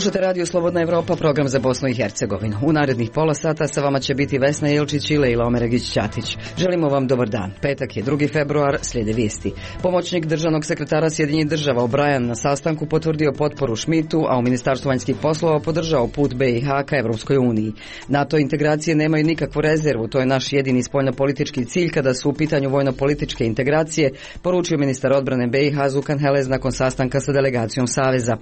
Slušate Radio Slobodna Evropa, program za Bosnu i Hercegovinu. U narednih pola sata sa vama će biti Vesna Jelčić i Lejla Omeregić-Ćatić. Želimo vam dobar dan. Petak je 2. februar, slijede vijesti. Pomoćnik državnog sekretara Sjedinjenih država O'Brien na sastanku potvrdio potporu Schmidtu, a u Ministarstvu vanjskih poslova podržao put BiH ka Evropskoj uniji. NATO integracije nemaju nikakvu rezervu, to je naš jedini spoljnopolitički cilj kada su u pitanju vojno-političke integracije, poručio ministar odbrane BiH Zukan Helez nakon sastanka sa delegacijom Saveza.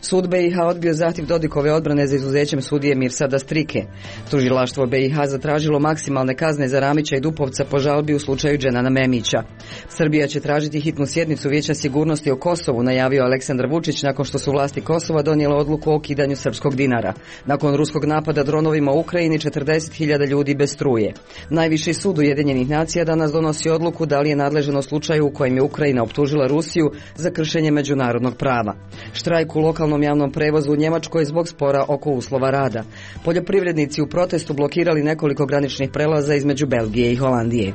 Sud BiH odbio zahtjev Dodikove odbrane za izuzećem sudije Mirsada Strike. Tužilaštvo BiH zatražilo maksimalne kazne za Ramića i Dupovca po žalbi u slučaju Dženana Memića. Srbija će tražiti hitnu sjednicu Vijeća sigurnosti o Kosovu, najavio Aleksandar Vučić nakon što su vlasti Kosova donijele odluku o ukidanju srpskog dinara. Nakon ruskog napada dronovima u Ukrajini 40.000 ljudi bez struje. Najviši sud Ujedinjenih nacija danas donosi odluku da li je nadležan u slučaju u kojem je Ukrajina optužila Rusiju za kršenje međunarodnog prava. Štrajk u lokalnom javnom prevozu u Njemačkoj zbog spora oko uslova rada. Poljoprivrednici u protestu blokirali nekoliko graničnih prelaza između Belgije i Holandije.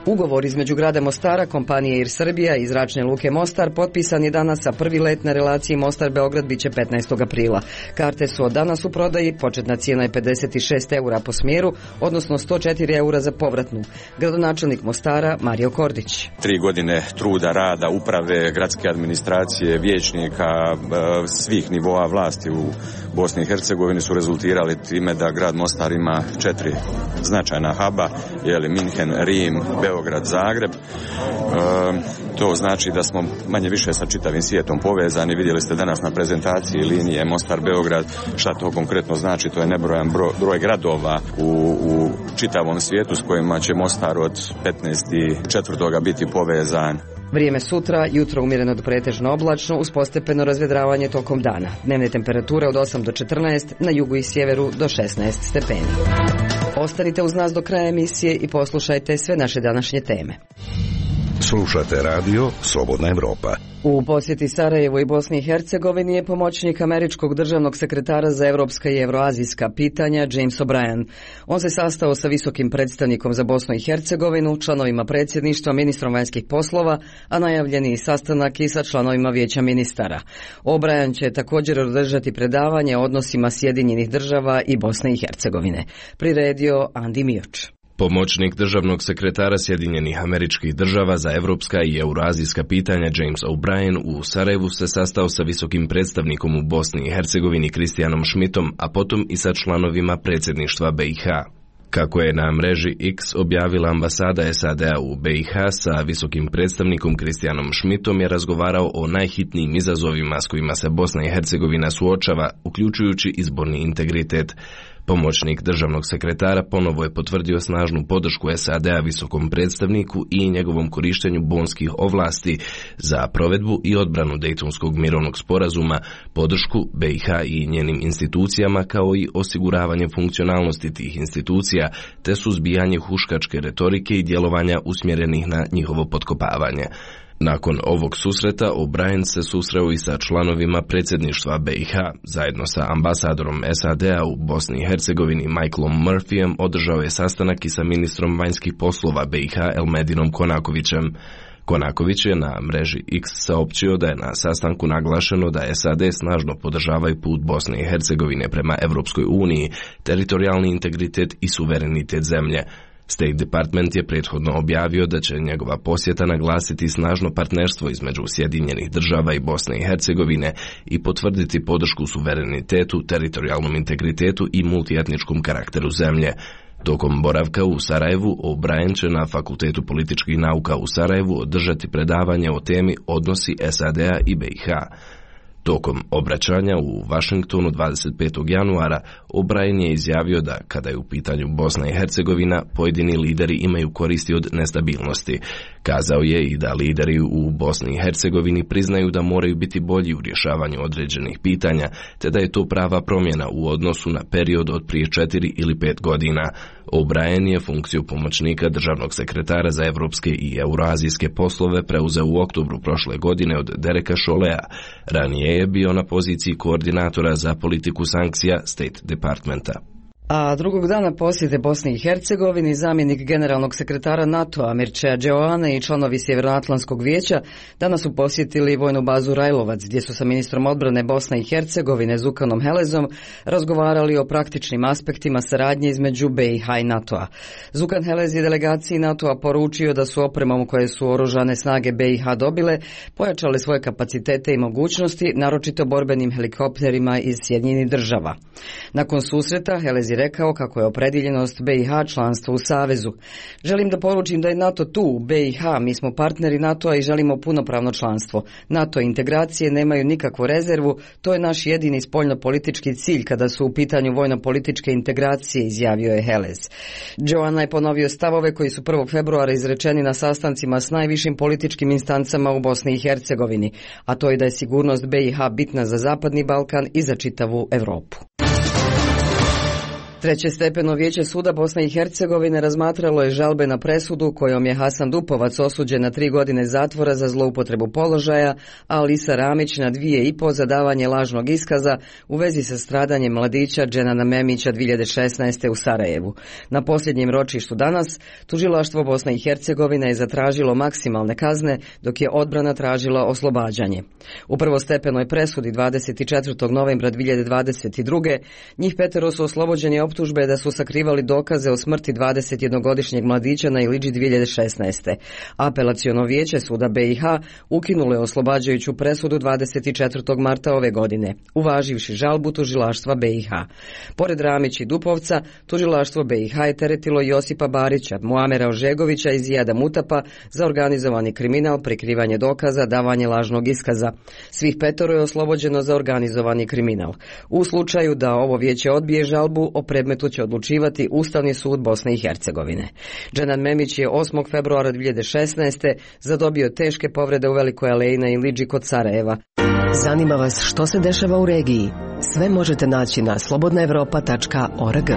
Ugovor između grada Mostara, kompanije Air Srbija i zračne luke Mostar potpisan je danas, a prvi let na relaciji Mostar-Beograd biće 15. aprila. Karte su od danas u prodaji, početna cijena je 56 eura po smjeru, odnosno 104 eura za povratnu. Gradonačelnik Mostara Mario Kordić. 3 godine truda, rada, uprave, gradske administracije, vijećnika, svih nivoa vlasti u Bosni i Hercegovini su rezultirali time da grad Mostar ima 4 značajna huba, Minhen, Rim, Beograd, Zagreb. To znači da smo manje više sa čitavim svijetom povezani. Vidjeli ste danas na prezentaciji linije Mostar-Beograd. Šta to konkretno znači? To je nebrojan broj gradova u čitavom svijetu s kojima će Mostar od 15.4. biti povezan. Vrijeme sutra, jutro umjereno do pretežno oblačno, uz postepeno razvedravanje tokom dana. Dnevne temperature od 8 do 14, na jugu i sjeveru do 16 stepeni. Ostanite uz nas do kraja emisije i poslušajte sve naše današnje teme. Slušate radio Slobodna Evropa. U posjeti Sarajevu i Bosni i Hercegovini je pomoćnik američkog državnog sekretara za evropska i evroazijska pitanja James O'Brien. On se sastao sa visokim predstavnikom za Bosnu i Hercegovinu, članovima predsjedništva, ministrom vanjskih poslova, a najavljeni sastanak i sa članovima vijeća ministara. O'Brien će također održati predavanje o odnosima Sjedinjenih država i Bosne i Hercegovine. Priredio Andi Mioč. Pomoćnik državnog sekretara Sjedinjenih američkih država za evropska i eurazijska pitanja James O'Brien u Sarajevu se sastao sa visokim predstavnikom u Bosni i Hercegovini Kristijanom Schmidtom, a potom i sa članovima predsjedništva BiH. Kako je na mreži X objavila ambasada SAD-a u BiH, sa visokim predstavnikom Kristijanom Schmidtom je razgovarao o najhitnijim izazovima s kojima se Bosna i Hercegovina suočava, uključujući izborni integritet. Pomoćnik državnog sekretara ponovo je potvrdio snažnu podršku SAD-a visokom predstavniku i njegovom korištenju bonskih ovlasti za provedbu i odbranu Dejtonskog mirovnog sporazuma, podršku BiH i njenim institucijama, kao i osiguravanje funkcionalnosti tih institucija, te suzbijanje huškačke retorike i djelovanja usmjerenih na njihovo potkopavanje. Nakon ovog susreta, O'Brien se susreo i sa članovima predsjedništva BiH. Zajedno sa ambasadorom SAD-a u Bosni i Hercegovini Michaelom Murphyjem održao je sastanak i sa ministrom vanjskih poslova BiH Elmedinom Konakovićem. Konaković je na mreži X saopćio da je na sastanku naglašeno da SAD snažno podržavaju put Bosne i Hercegovine prema Evropskoj uniji, teritorijalni integritet i suverenitet zemlje. State Department je prethodno objavio da će njegova posjeta naglasiti snažno partnerstvo između Sjedinjenih država i Bosne i Hercegovine i potvrditi podršku suverenitetu, teritorijalnom integritetu i multietničkom karakteru zemlje. Tokom boravka u Sarajevu, O'Brien će na Fakultetu političkih nauka u Sarajevu održati predavanje o temi odnosi SAD-a i BiH. Tokom obraćanja u Vašingtonu 25. januara, O'Brien je izjavio da, kada je u pitanju Bosna i Hercegovina, pojedini lideri imaju koristi od nestabilnosti. Kazao je i da lideri u Bosni i Hercegovini priznaju da moraju biti bolji u rješavanju određenih pitanja, te da je to prava promjena u odnosu na period od prije 4 ili 5 godina. O'Brien je funkciju pomoćnika državnog sekretara za evropske i eurazijske poslove preuzeo u oktobru prošle godine od Dereka Cholea. Ranije je bio na poziciji koordinatora za politiku sankcija State Departmenta. A drugog dana posjete Bosni i Hercegovini zamjenik generalnog sekretara NATO-a Mircea Geoane i članovi Sjevernoatlantskog vijeća danas su posjetili vojnu bazu Rajlovac, gdje su sa ministrom odbrane Bosne i Hercegovine Zukanom Helezom razgovarali o praktičnim aspektima saradnje između BiH i NATO-a. Zukan Helez je delegaciji NATO-a poručio da su opremom koje su oružane snage BiH dobile pojačale svoje kapacitete i mogućnosti, naročito borbenim helikopterima iz Sjedinjenih Država. Nakon susreta Helez je rekao kako je opredjeljenost BiH članstvo u Savezu. Želim da poručim da je NATO tu, u BiH, mi smo partneri NATO-a i želimo punopravno članstvo. NATO integracije nemaju nikakvu rezervu, to je naš jedini spoljnopolitički cilj kada su u pitanju vojno-političke integracije, izjavio je Helez. Geoana je ponovio stavove koji su 1. februara izrečeni na sastancima s najvišim političkim instancama u Bosni i Hercegovini, a to je da je sigurnost BiH bitna za Zapadni Balkan i za čitavu Europu. Treće stepeno vijeće suda Bosne i Hercegovine razmatralo je žalbe na presudu kojom je Hasan Dupovac osuđen na 3 godine zatvora za zloupotrebu položaja, a Alisa Ramić na 2,5 za davanje lažnog iskaza u vezi sa stradanjem mladića Dženana Memića 2016. u Sarajevu. Na posljednjem ročištu danas tužilaštvo Bosne i Hercegovine je zatražilo maksimalne kazne, dok je odbrana tražila oslobađanje. U prvostepenoj presudi 24. novembra 2022. njih 5 su oslobođeni optužbe da su sakrivali dokaze o smrti 21-godišnjeg mladića na Iliđi 2016. Apelaciono vijeće suda BiH ukinulo je oslobađajuću presudu 24. marta ove godine, uvaživši žalbu tužilaštva BiH. Pored Ramić i Dupovca, tužilaštvo BiH je teretilo Josipa Barića, Muamera Ožegovića i Zijada Mutapa za organizovani kriminal, prikrivanje dokaza, davanje lažnog iskaza. Svih 5 je oslobođeno za organizovani kriminal. U slučaju da ovo vijeće odbije žalbu, o predmetu će odlučivati Ustavni sud Bosne i Hercegovine. Dženan Memić je 8. februara 2016. zadobio teške povrede u Velikoj Aleji na Iliđi kod Sarajeva. Zanima vas što se dešava u regiji? Sve možete naći na slobodnaevropa.org.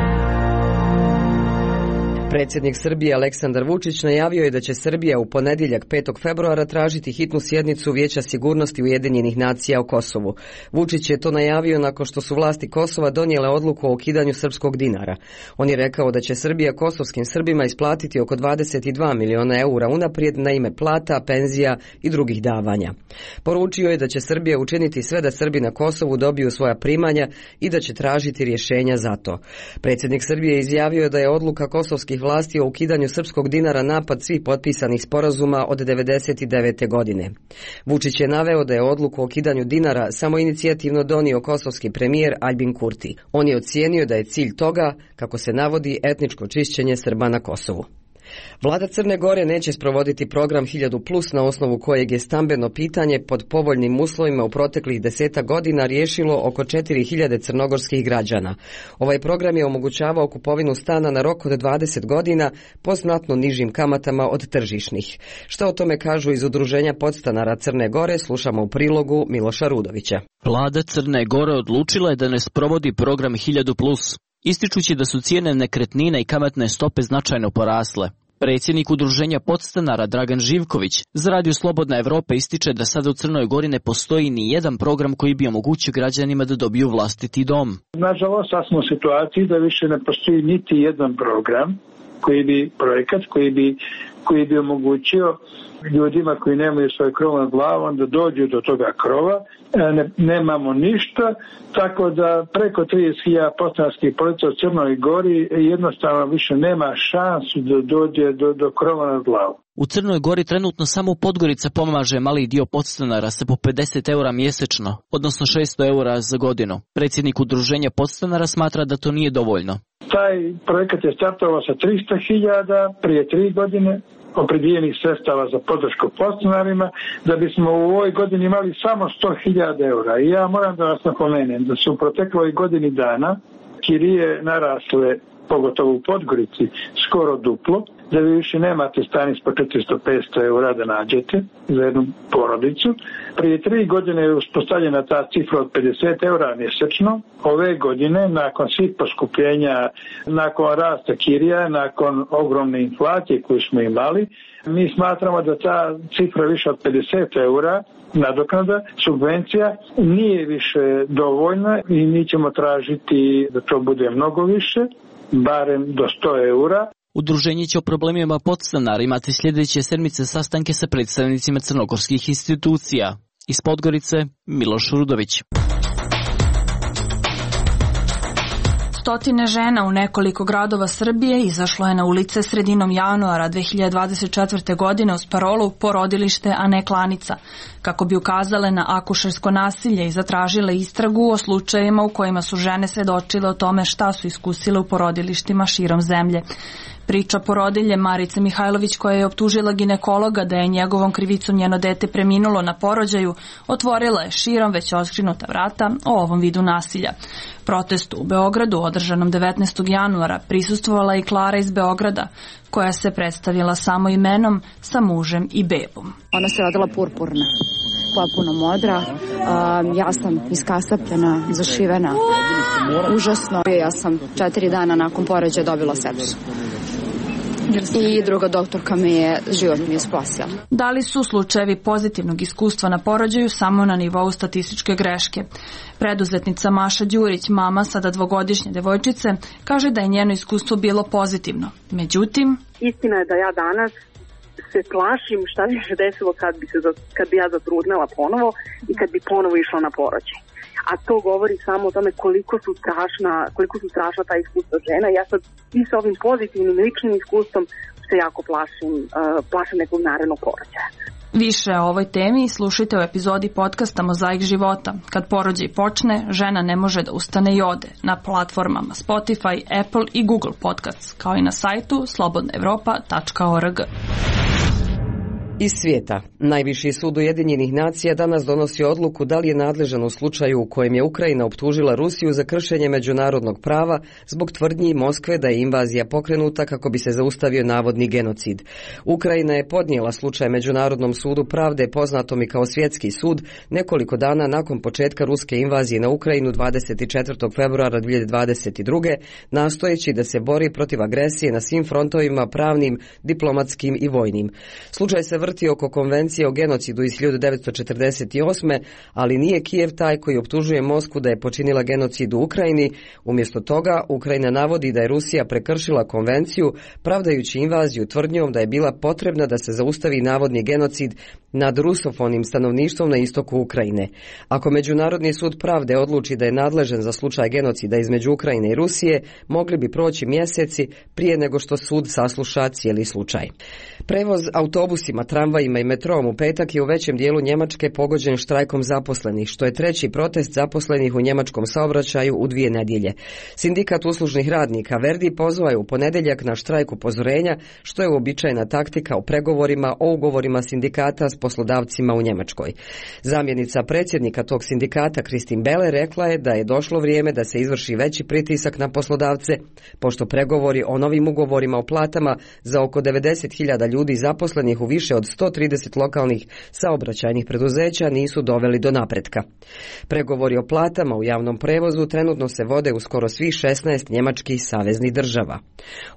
Predsjednik Srbije Aleksandar Vučić najavio je da će Srbija u ponedjeljak 5. februara tražiti hitnu sjednicu Vijeća sigurnosti Ujedinjenih nacija o Kosovu. Vučić je to najavio nakon što su vlasti Kosova donijele odluku o ukidanju srpskog dinara. On je rekao da će Srbija kosovskim Srbima isplatiti oko 22 miliona eura unaprijed na ime plata, penzija i drugih davanja. Poručio je da će Srbija učiniti sve da Srbi na Kosovu dobiju svoja primanja i da će tražiti rješenja za to. Predsjednik Srbije izjavio da je odluka kosovskih vlasti o ukidanju srpskog dinara napad svih potpisanih sporazuma od 1999. godine. Vučić je naveo da je odluku o ukidanju dinara samoinicijativno donio kosovski premijer Aljbin Kurti. On je ocijenio da je cilj toga, kako se navodi, etničko čišćenje Srba na Kosovu. Vlada Crne Gore neće sprovoditi program 1000+, na osnovu kojeg je stambeno pitanje pod povoljnim uslovima u proteklih 10 godina riješilo oko 4000 crnogorskih građana. Ovaj program je omogućavao kupovinu stana na rok od 20 godina po znatno nižim kamatama od tržišnih. Šta o tome kažu iz Udruženja podstanara Crne Gore, slušamo u prilogu Miloša Rudovića. Vlada Crne Gore odlučila je da ne sprovodi program 1000+, ističući da su cijene nekretnina i kamatne stope značajno porasle. Predsjednik Udruženja podstanara Dragan Živković za Radio Slobodna Evropa ističe da sada u Crnoj Gori ne postoji ni jedan program koji bi omogućio građanima da dobiju vlastiti dom. Nažalost, sad smo u situaciji da više ne postoji niti jedan program, projekat koji bi omogućio ljudima koji nemaju svoj krov nad glavom da dođu do toga krova. Nemamo ništa, tako da preko 30.000 podstanarskih porodica u Crnoj Gori jednostavno više nema šansu da dođe do krova nad glavom. U Crnoj Gori trenutno samo Podgorica pomaže mali dio podstanara sa po 50 eura mjesečno, odnosno 600 eura za godinu. Predsjednik Udruženja podstanara smatra da to nije dovoljno. Taj projekat je startovao sa 300.000 prije 3 godine opredijeljenih sredstava za podršku podstanarima, da bismo u ovoj godini imali samo 100.000 eura. I ja moram da vas napomenem da su u protekloj godini dana kirije narasle pogotovo u Podgorici, skoro duplo, da vi više nemate stanic po 400-500 eura da nađete za jednu porodicu. Prije 3 godine je uspostavljena ta cifra od 50 eura mjesečno. Ove godine, nakon svih poskupljenja, nakon rasta kirija, nakon ogromne inflacije koju smo imali, mi smatramo da ta cifra više od 50 eura nadoknada, subvencija, nije više dovoljna i mi ćemo tražiti da to bude mnogo više, barem do 100 eura. Udruženje će o problemima podstanara imati sljedeće sedmice sastanke sa predstavnicima crnogorskih institucija. Iz Podgorice, Miloš Rudović. Stotine žena u nekoliko gradova Srbije izašlo je na ulice sredinom januara 2024. godine uz parolu Porodilište, a ne klanica, kako bi ukazale na akušersko nasilje i zatražile istragu o slučajevima u kojima su žene svedočile o tome šta su iskusile u porodilištima širom zemlje. Priča porodilje Marice Mihajlović, koja je optužila ginekologa da je njegovom krivicom njeno dete preminulo na porođaju, otvorila je širom već otkrinuta vrata o ovom vidu nasilja. Protestu u Beogradu, održanom 19. januara, prisustvovala i Klara iz Beograda, koja se predstavila samo imenom sa mužem i bebom. Ona se rodila purpurna, potpuno modra, ja sam iskasapljena, zašivena, užasno. Ja sam 4 dana nakon porođaja dobila sepsu. I druga doktorka život mi je spasila. Da li su slučajevi pozitivnog iskustva na porođaju samo na nivou statističke greške? Preduzetnica Maša Đurić, mama sada 2-godišnje devojčice, kaže da je njeno iskustvo bilo pozitivno. Međutim, istina je da ja danas se plašim šta bi se desilo kad bi ja zatrudnela ponovo i kad bi ponovo išla na porođaj. A to govori samo o tome koliko su strašna ta iskustva žena. Ja sad i sa ovim pozitivnim ličnim iskustvom se jako plašim nekog narednog porođaja. Više o ovoj temi slušajte u epizodi podcasta Mozaik života. Kad porođaj počne, žena ne može da ustane i ode, na platformama Spotify, Apple i Google Podcasts, kao i na sajtu slobodnaevropa.org. Iz svijeta. Najviši sud Ujedinjenih nacija danas donosi odluku da li je nadležan u slučaju u kojem je Ukrajina optužila Rusiju za kršenje međunarodnog prava zbog tvrdnji Moskve da je invazija pokrenuta kako bi se zaustavio navodni genocid. Ukrajina je podnijela slučaj Međunarodnom sudu pravde, poznatom i kao Svjetski sud, nekoliko dana nakon početka ruske invazije na Ukrajinu 24. februara 2022. nastojeći da se bori protiv agresije na svim frontovima, pravnim, diplomatskim i vojnim. Slučaj se vrti oko konvencije o genocidu iz 1948. ali nije Kijev taj koji optužuje Moskvu da je počinila genocid u Ukrajini. Umjesto toga, Ukrajina navodi da je Rusija prekršila konvenciju, pravdajući invaziju tvrdnjom da je bila potrebna da se zaustavi navodni genocid nad rusofonim stanovništvom na istoku Ukrajine. Ako Međunarodni sud pravde odluči da je nadležan za slučaj genocida između Ukrajine i Rusije, mogli bi proći mjeseci prije nego što sud sasluša cijeli slučaj. Prevoz autobusima, tramvajima i metrom u petak je u većem dijelu Njemačke pogođen štrajkom zaposlenih, što je treći protest zaposlenih u njemačkom saobraćaju u 2 nedjelje. Sindikat uslužnih radnika Verdi pozvao je u ponedjeljak na štrajk upozorenja, što je uobičajena taktika u pregovorima o ugovorima sindikata s poslodavcima u Njemačkoj. Zamjenica predsjednika tog sindikata Kristin Bele rekla je da je došlo vrijeme da se izvrši veći pritisak na poslodavce, pošto pregovori o novim ugovorima o platama za oko 90.000 ljudi zaposlenih u više od 130 lokalnih saobraćajnih preduzeća nisu doveli do napretka. Pregovori o platama u javnom prevozu trenutno se vode u skoro svih 16 njemačkih saveznih država.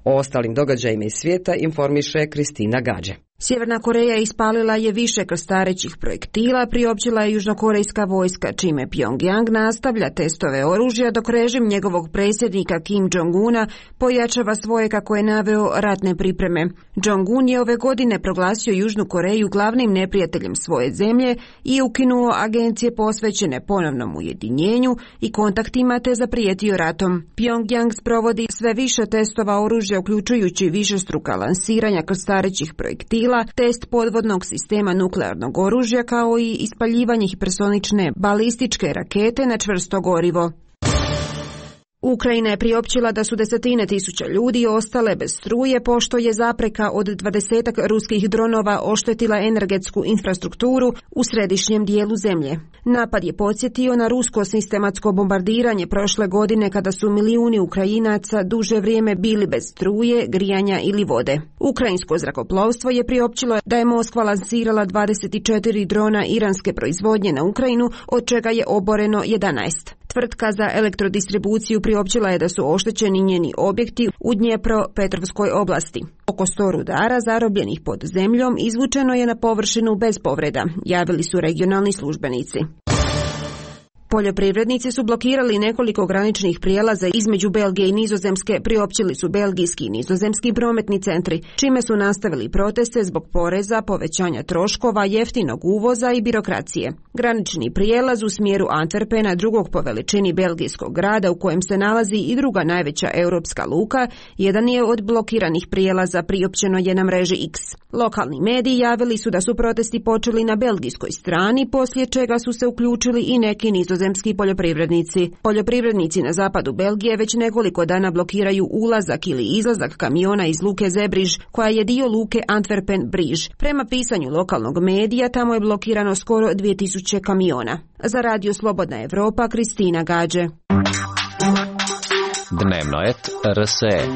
O ostalim događajima iz svijeta informiše Kristina Gađe. Sjeverna Koreja ispalila je više krstarećih projektila, priopćila je južnokorejska vojska, čime Pyongyang nastavlja testove oružja, dok režim njegovog predsjednika Kim Jong-una pojačava svoje, kako je naveo, ratne pripreme. Jong-un je ove godine proglasio Južnu Koreju glavnim neprijateljem svoje zemlje i ukinuo agencije posvećene ponovnom ujedinjenju i kontaktima, te zaprijetio ratom. Pyongyang sprovodi sve više testova oružja, uključujući višestruka lansiranja krstarećih projektila, test podvodnog sistema nuklearnog oružja, kao i ispaljivanje hipersonične balističke rakete na čvrsto gorivo. Ukrajina je priopćila da su desetine tisuća ljudi ostale bez struje pošto je zapreka od 20 ruskih dronova oštetila energetsku infrastrukturu u središnjem dijelu zemlje. Napad je podsjetio na rusko sistematsko bombardiranje prošle godine kada su milijuni Ukrajinaca duže vrijeme bili bez struje, grijanja ili vode. Ukrajinsko zrakoplovstvo je priopćilo da je Moskva lansirala 24 drona iranske proizvodnje na Ukrajinu, od čega je oboreno 11. Tvrtka za elektrodistribuciju priopćila je da su oštećeni njeni objekti u Dnjepropetrovskoj oblasti. Oko 100 rudara zarobljenih pod zemljom izvučeno je na površinu bez povreda, javili su regionalni službenici. Poljoprivrednici su blokirali nekoliko graničnih prijelaza između Belgije i Nizozemske, priopćili su belgijski i nizozemski prometni centri, čime su nastavili proteste zbog poreza, povećanja troškova, jeftinog uvoza i birokracije. Granični prijelaz u smjeru Antwerpena, drugog po veličini belgijskog grada u kojem se nalazi i druga najveća europska luka, jedan je od blokiranih prijelaza, priopćeno je na mreži X. Lokalni mediji javili su da su protesti počeli na belgijskoj strani, poslije čega su se uključili i neki nizozemski poljoprivrednici. Poljoprivrednici na zapadu Belgije već nekoliko dana blokiraju ulazak ili izlazak kamiona iz luke Zebriž, koja je dio luke Antwerpen-Briž. Prema pisanju lokalnog medija, tamo je blokirano skoro 2000 kamiona. Za Radio Slobodna Evropa, Kristina Gađe. Dnevnoet RSE.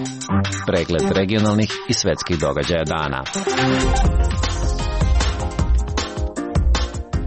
Pregled regionalnih i svetskih događaja dana.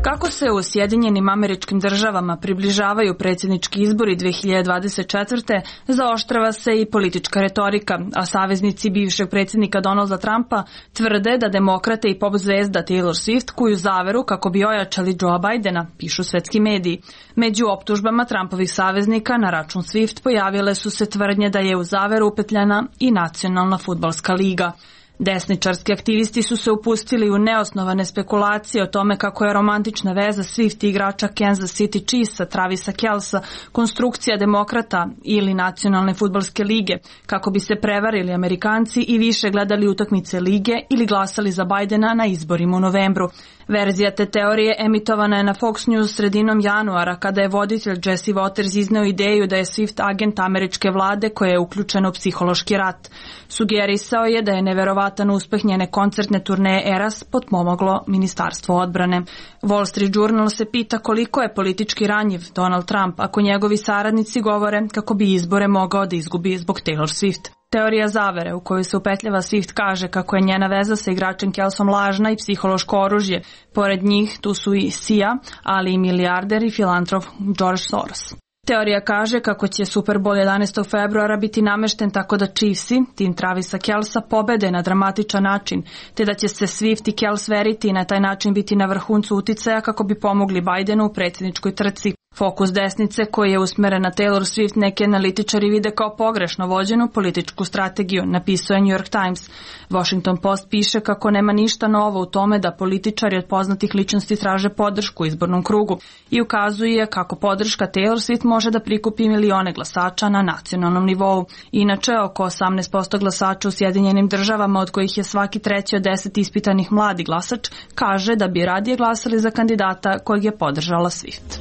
Kako se u Sjedinjenim Američkim Državama približavaju predsjednički izbori 2024. zaoštrava se i politička retorika, a saveznici bivšeg predsjednika Donalda Trumpa tvrde da demokrate i pop zvezda Taylor Swift kuju zaveru kako bi ojačali Joea Bidena, pišu svetski mediji. Među optužbama Trumpovih saveznika na račun Swift pojavile su se tvrdnje da je u zaveru upetljana i Nacionalna fudbalska liga. Desničarski aktivisti su se upustili u neosnovane spekulacije o tome kako je romantična veza Swift i igrača Kansas City Chiefsa Travisa Kelsa konstrukcija demokrata ili Nacionalne fudbalske lige, kako bi se prevarili Amerikanci i više gledali utakmice lige ili glasali za Bidena na izborima u novembru. Verzija te teorije emitovana je na Fox News sredinom januara, kada je voditelj Jesse Waters izneo ideju da je Swift agent američke vlade koja je uključena u psihološki rat. Sugerisao je da je neverovatan uspeh njene koncertne turneje Eras potpomoglo Ministarstvo odbrane. Wall Street Journal se pita koliko je politički ranjiv Donald Trump ako njegovi saradnici govore kako bi izbore mogao da izgubi zbog Taylor Swift. Teorija zavere u kojoj se upetljava Swift kaže kako je njena veza sa igračem Kelsom lažna i psihološko oružje. Pored njih tu su i Sia, ali i milijarder i filantrop George Soros. Teorija kaže kako će Super Bowl 11. februara biti namešten tako da Chiefsi, tim Travisa Kelsa, pobede na dramatičan način, te da će se Swift i Kels veriti i na taj način biti na vrhuncu uticaja kako bi pomogli Bidenu u predsjedničkoj trci. Fokus desnice koji je usmeren na Taylor Swift neki analitičari vide kao pogrešno vođenu političku strategiju, napisao je New York Times. Washington Post piše kako nema ništa novo u tome da političari od poznatih ličnosti traže podršku u izbornom krugu i ukazuje kako podrška Taylor Swift može da prikupi milione glasača na nacionalnom nivou. Inače, oko 18% glasača u Sjedinjenim Državama, od kojih je svaki treći od 10 ispitanih mladi glasač, kaže da bi radije glasali za kandidata kojeg je podržala Swift.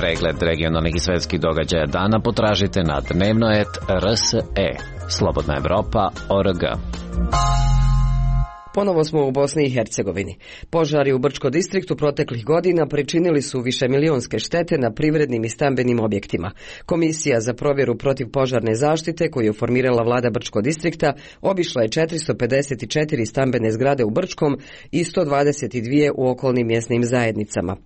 Pregled regionalnih i svetskih događaja dana potražite na Dnevnoet RSE. Slobodna Evropa.org. Ponovo smo u Bosni i Hercegovini. Požari u Brčko distriktu proteklih godina pričinili su višemilionske štete na privrednim i stambenim objektima. Komisija za provjeru protivpožarne zaštite koju je formirala vlada Brčko distrikta obišla je 454 stambene zgrade u Brčkom i 122 u okolnim mjesnim zajednicama.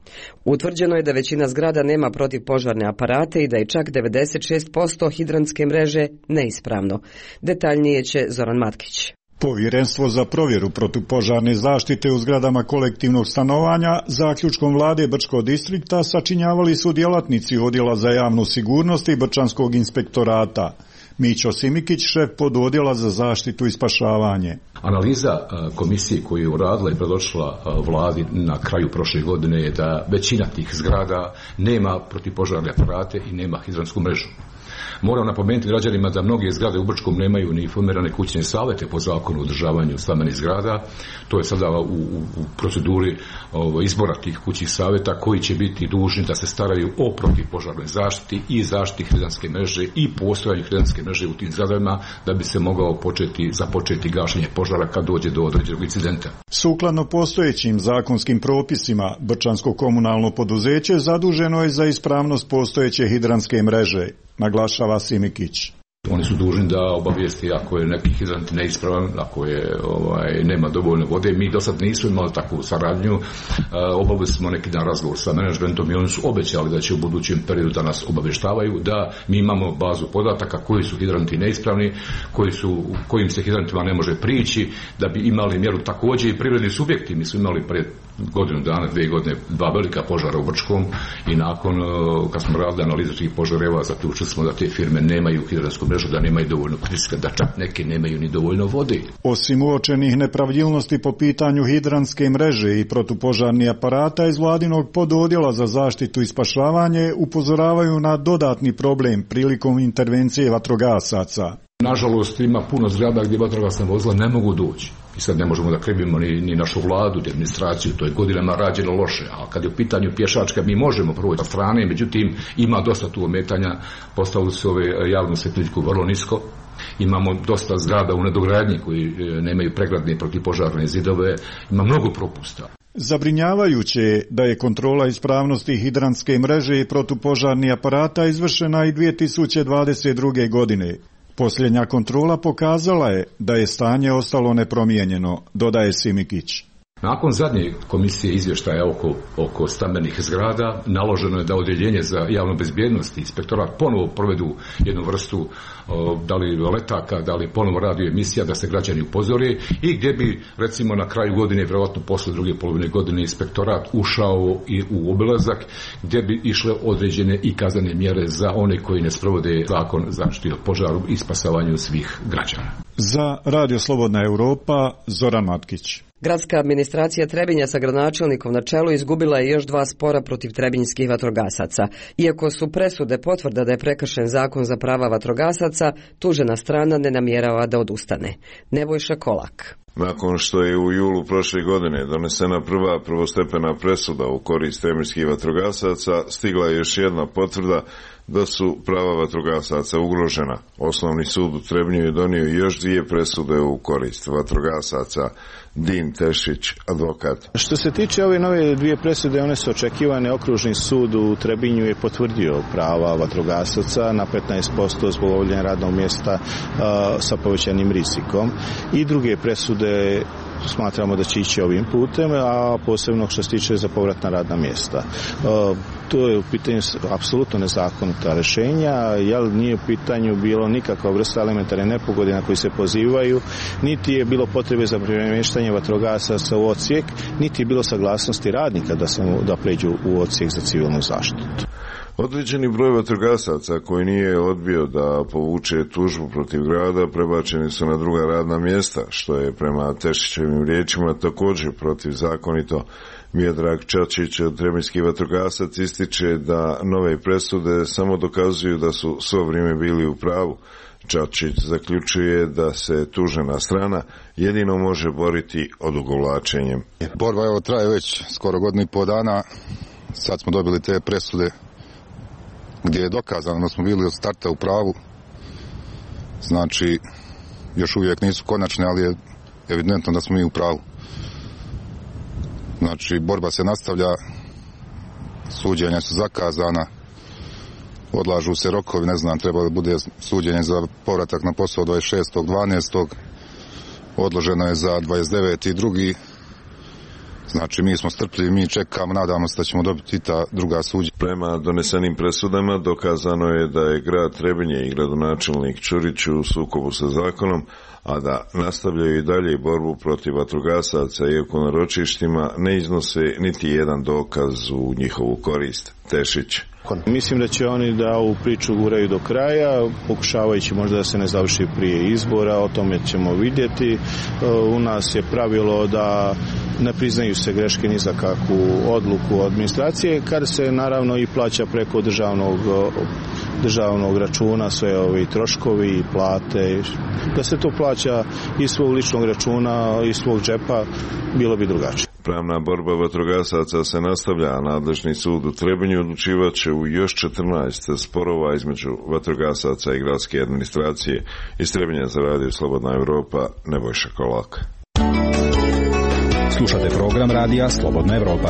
Utvrđeno je da većina zgrada nema protivpožarne aparate i da je čak 96% hidrantske mreže neispravno. Detaljnije će Zoran Matkić. Povjerenstvo za provjeru protupožarne zaštite u zgradama kolektivnog stanovanja zaključkom vlade Brčkog distrikta sačinjavali su djelatnici Odjela za javnu sigurnost i Brčanskog inspektorata. Mićo Simikić, šef pododjela za zaštitu i spašavanje. Analiza komisije koju je uradila i predočila vladi na kraju prošle godine je da većina tih zgrada nema protivpožarne aparate i nema hidrantsku mrežu. Moram napomenuti građanima da mnoge zgrade u Brčkom nemaju ni formirane kućne savete po zakonu o održavanju stambenih zgrada. To je sada u proceduri izbora tih kućnih saveta koji će biti dužni da se staraju o protivpožarnoj zaštiti i zaštiti hidranske mreže i postojanju hidranske mreže u tim zgradama da bi se mogao započeti gašenje požara kad dođe do određenog incidenta. Sukladno postojećim zakonskim propisima, Brčansko komunalno poduzeće zaduženo je za ispravnost postojeće hidranske mreže, naglašava Simikić. Oni su dužni da obavijesti ako je neki hidrant neispravan, ako je nema dovoljno vode. Mi do sad nismo imali takvu saradnju. Obavili smo neki dan razgovor sa menadžmentom i oni su obećali da će u budućem periodu da nas obavještavaju da mi imamo bazu podataka koji su hidranti neispravni, kojim se hidrantima ne može prići, da bi imali mjeru također i privredni subjekti. Mi smo imali pred godinu dana, 2 godine, 2 velika požara u Brčkom i nakon kad smo radili analizu tih požareva zaključili smo da te firme nemaju hidransku mrežu, da nemaju dovoljno pritiska, da čak neke nemaju ni dovoljno vode. Osim uočenih nepravilnosti po pitanju hidranske mreže i protupožarnih aparata iz vladinog pododjela za zaštitu i spašavanje upozoravaju na dodatni problem prilikom intervencije vatrogasaca. Nažalost, ima puno zgrada gdje vatrogasna vozila ne mogu doći. I sad ne možemo da krivimo ni našu vladu, ni administraciju, to je godinama rađeno loše. A kad je u pitanju pješačka, mi možemo proći sa strane, međutim, ima dosta tu ometanja, postavili su ove javnu svjetiljku vrlo nisko. Imamo dosta zgrada u nedogradnji koji nemaju pregradne protivpožarne zidove, ima mnogo propusta. Zabrinjavajuće je da je kontrola ispravnosti hidranske mreže i protupožarnih aparata izvršena i 2022. godine. Posljednja kontrola pokazala je da je stanje ostalo nepromijenjeno, dodaje Simikić. Nakon zadnje komisije izvještaja oko stambenih zgrada naloženo je da odjeljenje za javnu bezbjednost i inspektorat ponovo provedu jednu vrstu da li letaka, da li ponovo radio emisija da se građani upozore i gdje bi recimo na kraju godine, vjerojatno posle druge polovine godine inspektorat ušao i u obilazak gdje bi išle određene i kaznene mjere za one koji ne sprovode zakon zaštite od požaru i spasavanju svih građana. Za Radio Slobodna Europa, Zoran Matkić. Gradska administracija Trebinja sa gradonačelnikom na čelu izgubila je još 2 spora protiv trebinjskih vatrogasaca. Iako su presude potvrda da je prekršen zakon za prava vatrogasaca, tužena strana ne namjerava da odustane. Nebojša Kolak. Nakon što je u julu prošle godine donesena prva prvostepena presuda u korist trebinjskih vatrogasaca, stigla je još jedna potvrda da su prava vatrogasaca ugrožena. Osnovni sud u Trebinju je donio još 2 presude u korist vatrogasaca. Din Tešić, advokat. Što se tiče ove nove 2 presude, one su očekivane. Okružni sud u Trebinju je potvrdio prava vatrogasaca na 15% zbog obavljanja radnog mjesta sa povećanim rizikom. I druge presude smatramo da će ići ovim putem, a posebno što se tiče za povratna radna mjesta. To je u pitanju apsolutno nezakonita rješenja, jer nije u pitanju bilo nikakva vrsta elementarne nepogode na koji se pozivaju, niti je bilo potrebe za premještanje vatrogasaca u odsjek, niti je bilo saglasnosti radnika da pređu u odsjek za civilnu zaštitu. Određeni broj vatrogasaca koji nije odbio da povuče tužbu protiv grada prebačeni su na druga radna mjesta, što je prema Tešićevim riječima također protivzakonito. Miodrag Čačić od trebinjski vatrogasac ističe da nove presude samo dokazuju da su svo vrijeme bili u pravu. Čačić zaključuje da se tužena strana jedino može boriti odugovlačenjem. Borba evo traje već skoro 1,5 godina dana, sad smo dobili te presude gdje je dokazano da smo bili od starta u pravu. Znači, još uvijek nisu konačne, ali je evidentno da smo mi u pravu. Znači, borba se nastavlja, suđenja su zakazana, odlažu se rokovi, ne znam, treba da bude suđenje za povratak na posao 26.12. Odloženo je za 29.2. Znači, mi smo strpljivi, mi čekamo, nadamo se da ćemo dobiti ta druga suđenja. Prema donesenim presudama dokazano je da je grad Trebinje i gradonačelnik Čurić u sukobu sa zakonom, a da nastavljaju i dalje borbu protiv vatrogasaca, iako na ročištima ne iznose niti jedan dokaz u njihovu korist. Tešić. Mislim da će oni da ovu priču guraju do kraja, pokušavajući možda da se ne završi prije izbora, o tome ćemo vidjeti. U nas je pravilo da ne priznaju se greške ni za kakvu odluku administracije, kad se naravno i plaća preko državnog državnog računa sve ovi troškovi i plate, da se to plaća iz svog ličnog računa, iz svog džepa, bilo bi drugačije. Pravna borba vatrogasaca se nastavlja, a nadležni sud u Trebinju odlučivat će u još 14 sporova između vatrogasaca i gradske administracije. Iz Trebinja za radio Slobodna Evropa, Nebojša Kolak. Slušate program radija Slobodna Evropa.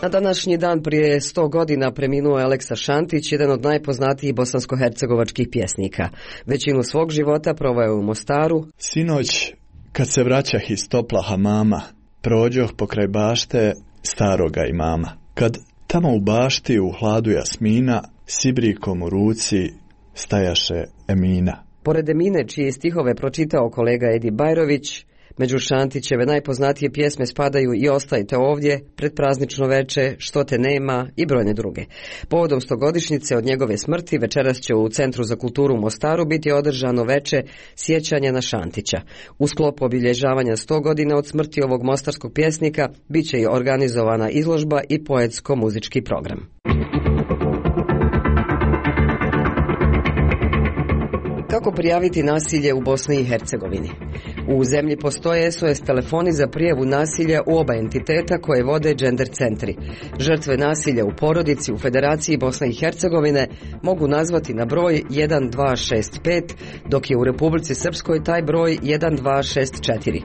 Na današnji dan prije 100 godina preminuo je Aleksa Šantić, jedan od najpoznatijih bosansko-hercegovačkih pjesnika. Većinu svog života proveo je u Mostaru. Sinoć, kad se vraćah iz topla hamama, prođoh pokraj bašte staroga imama. Kad tamo u bašti u hladu jasmina, sibrikom u ruci stajaše Emina. Pored Emine, čije stihove pročitao kolega Edi Bajrović, među Šantićeve najpoznatije pjesme spadaju I Ostajte ovdje, Predpraznično veče, Što te nema i brojne druge. Povodom 100-godišnjice od njegove smrti večeras će u Centru za kulturu u Mostaru biti održano veče sjećanja na Šantića. U sklopu obilježavanja 100 godina od smrti ovog mostarskog pjesnika bit će i organizovana izložba i poetsko-muzički program. Kako prijaviti nasilje u Bosni i Hercegovini? U zemlji postoje SOS telefoni za prijavu nasilja u oba entiteta koje vode gender centri. Žrtve nasilja u porodici u Federaciji Bosne i Hercegovine mogu nazvati na broj 1265, dok je u Republici Srpskoj taj broj 1264.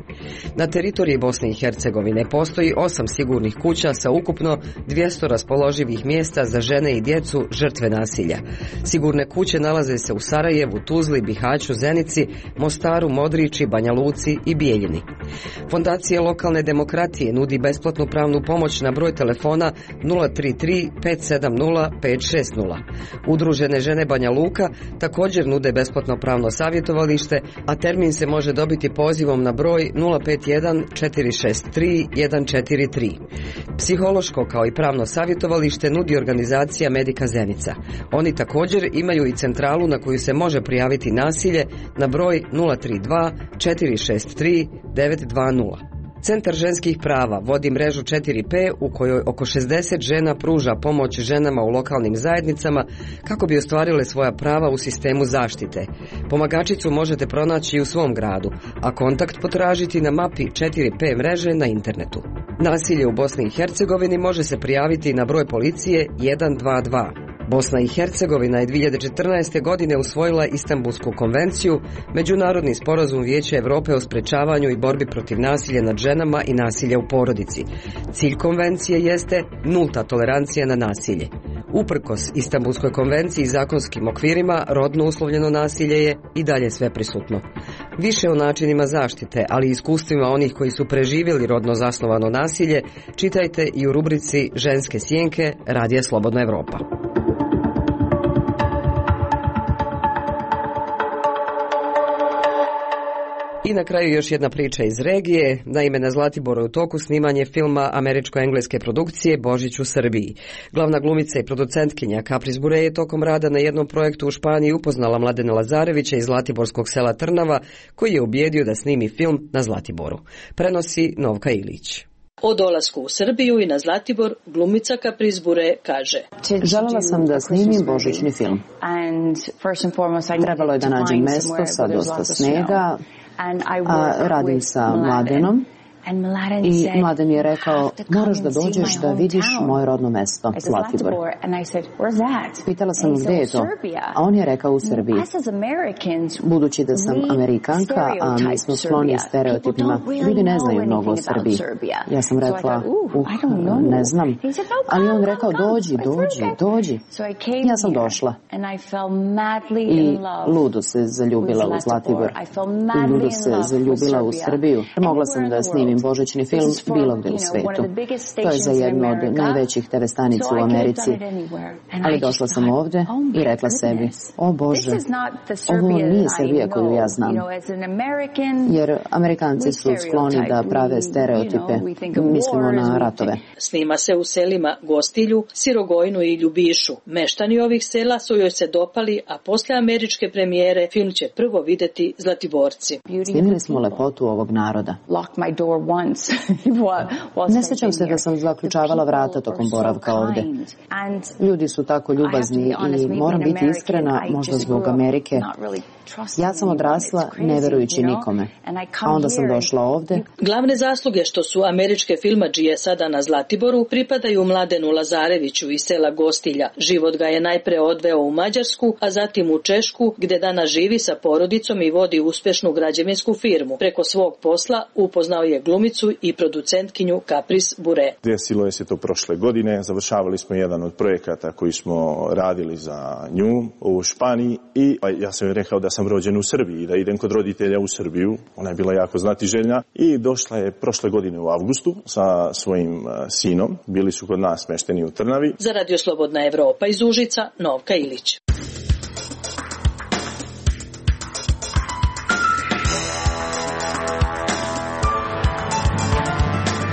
Na teritoriji Bosne i Hercegovine postoji 8 sigurnih kuća sa ukupno 200 raspoloživih mjesta za žene i djecu žrtve nasilja. Sigurne kuće nalaze se u Sarajevu, Tuzli, Bihaću, Zenici, Mostaru, Modriči, Banja Luci i Bijeljini. Fondacija lokalne demokratije nudi besplatnu pravnu pomoć na broj telefona 033 570 560. Udružene žene Banja Luka također nude besplatno pravno savjetovalište, a termin se može dobiti pozivom na broj 051 463 143. Psihološko kao i pravno savjetovalište nudi organizacija Medika Zenica. Oni također imaju i centralu na koju se može prijaviti nasilje na broj 032 463 920. Centar ženskih prava vodi mrežu 4P u kojoj oko 60 žena pruža pomoć ženama u lokalnim zajednicama kako bi ostvarile svoja prava u sistemu zaštite. Pomagačicu možete pronaći i u svom gradu, a kontakt potražiti na mapi 4P mreže na internetu. Nasilje u Bosni i Hercegovini može se prijaviti na broj policije 122. Bosna i Hercegovina je 2014. godine usvojila Istanbulsku konvenciju, međunarodni sporazum Vijeća Europe o sprečavanju i borbi protiv nasilja nad ženama i nasilja u porodici. Cilj konvencije jeste nulta tolerancija na nasilje. Uprkos Istanbulskoj konvenciji i zakonskim okvirima, rodno uslovljeno nasilje je i dalje sveprisutno. Više o načinima zaštite, ali i iskustvima onih koji su preživjeli rodno zasnovano nasilje, čitajte i u rubrici Ženske sjenke Radija Slobodna Evropa. I na kraju još jedna priča iz regije. Naime, na Zlatiboru je u toku snimanje filma američko-engleske produkcije Božić u Srbiji. Glavna glumica i producentkinja Kapris Bure je tokom rada na jednom projektu u Španiji upoznala Mladena Lazarevića iz zlatiborskog sela Trnava, koji je ubijedio da snimi film na Zlatiboru. Prenosi Novka Ilić. O dolasku u Srbiju i na Zlatibor glumica Kapris Bure kaže: Željela sam da snimim božićni film. Trebalo je da nađem mesto sa dosta snega, a radim sa Mladenom. I Mladen je rekao, moraš da dođeš da vidiš moje rodno mesto, Zlatibor. Pitala sam gdje je to, a on je rekao u Srbiji. Budući da sam Amerikanka, a mi smo skloni stereotipima, ljudi ne znaju mnogo o Srbiji. Ja sam rekla, ne znam, ali on rekao, dođi. Ja sam došla i ludo se zaljubila u Zlatibor, i ludo se zaljubila u Srbiju. Mogla sam da snimim božićni film bilo gdje u svetu. To je za jednu od najvećih TV stanica u Americi. Ali došla sam ovdje i rekla sebi, o Bože, ovo nije Srbija koju ja znam. Jer Amerikanci su skloni da prave stereotipe. Mislimo na ratove. Snima se u selima Gostilju, Sirogojnu i Ljubišu. Meštani ovih sela su joj se dopali, a poslije američke premijere film će prvo vidjeti Zlatiborci. Snimili smo lepotu ovog naroda. Ne sjećam se da sam zaključavala vrata tokom boravka ovde. Ljudi su tako ljubazni i moram biti iskrena, možda zbog Amerike. Ja sam odrasla ne verujući nikome, a onda sam došla ovde. Glavne zasluge što su američke filmadžije sada na Zlatiboru pripadaju Mladenu Lazareviću iz sela Gostilja. Život ga je najpre odveo u Mađarsku, a zatim u Češku, gde danas živi sa porodicom i vodi uspešnu građevinsku firmu. Preko svog posla upoznao je glumicu i producentkinju Kapris Bure. Desilo je se to prošle godine, završavali smo jedan od projekata koji smo radili za nju u Španiji i ja sam joj rekao da sam rođen u Srbiji i da idem kod roditelja u Srbiju. Ona je bila jako znatiželjna i došla je prošle godine u avgustu sa svojim sinom. Bili su kod nas smešteni u Trnavi. Za Radio Slobodna Evropa iz Užica, Novka Ilić.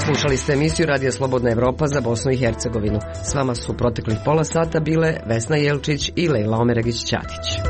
Slušali ste emisiju Radija Slobodna Evropa za Bosnu i Hercegovinu. S vama su proteklih pola sata bile Vesna Jelčić i Lejla Omeregić-Ćatić.